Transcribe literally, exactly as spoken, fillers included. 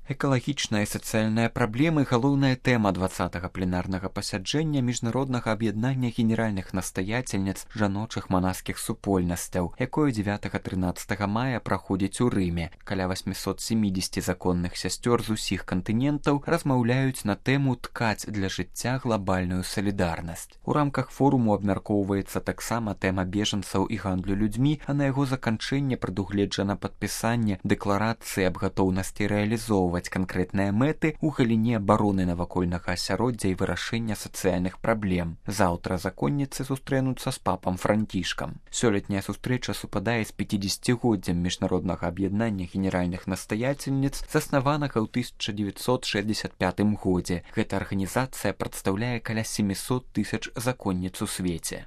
Экалагічная і сацыяльная праблемы – галоўная тэма двадцатага пленарнага пасяджэння міжнароднага аб'яднання генеральных настаяцельніц жаночых манаскіх супольнасцяў, якое дзевятага-трынаццатага мая праходзіць у Рыме. Каля восьмісот сямідзесяці законных сясцёр з усіх кантынентаў размаўляюць на тэму «Ткаць для жыцця глабальную салідарнасць». У рамках форуму абмяркоўваецца таксама тэма бежанцаў і гандлю людзьмі, а на яго заканчэнне прадугледжана падпісанне дэкларацыі аб гатоўнасці рэалізоўваць канкрэтныя мэты ў галіне абароны навакольнага асяроддзя і вырашэння сацыяльных праблем. Заўтра законніцы сустрэнуцца з папам Францішкам. Сёлетняя сустрэча супадае з пяцідзесяцігоддзям міжнароднага аб'яднання генеральных настаяцельніц, заснаванага ў тысяча дзевяцьсот шэсцьдзесят пятым годзе. Гэта арганізацыя прадстаўляе каля сямісот тысяч законніц у свеце.